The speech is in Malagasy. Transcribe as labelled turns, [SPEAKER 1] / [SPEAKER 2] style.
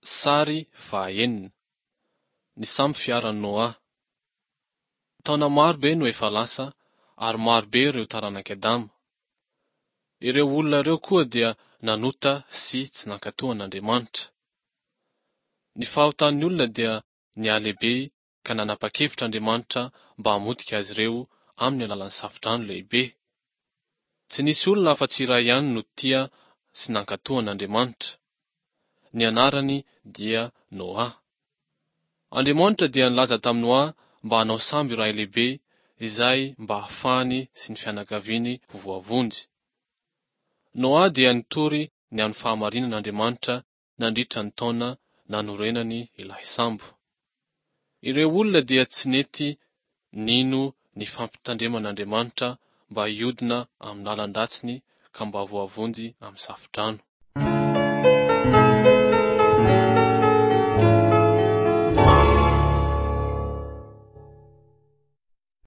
[SPEAKER 1] Sary fahaenina. Ny sambo fiaran'i Noa. Taona maro be no efa lasa ary maro be ireo taranak'i Adama. Ireo olona ireo koa dia nanota sy tsy nankatò an'Andriamanitra. Ny fahotan'ny olona dia nihalehibe ka nanapa-kevitra Andriamanitra mba hamotika azy ireo amin'ny alalan'ny safodrano lehibe. Tsy nisy olona afa-tsy iray ihany no tia sy nankatò an'Andriamanitra. Ny anarany dia Noa. Andriamanitra dia nilaza tamin'i Noa mba hanao sambo iray lehibe izay mba hahafahany sy ny fianakaviany ho voavonjy. Noa dia nitory ny amin'ny fahamarinan'Andriamanitra nandritra ny taona nanorenany ilay sambo. Ireo olona dia tsy nety nino ny fampitandreman'Andriamanitra mba hiodina amin'ny lalan-dratsiny ka mba voavonjy amin'ny safodrano.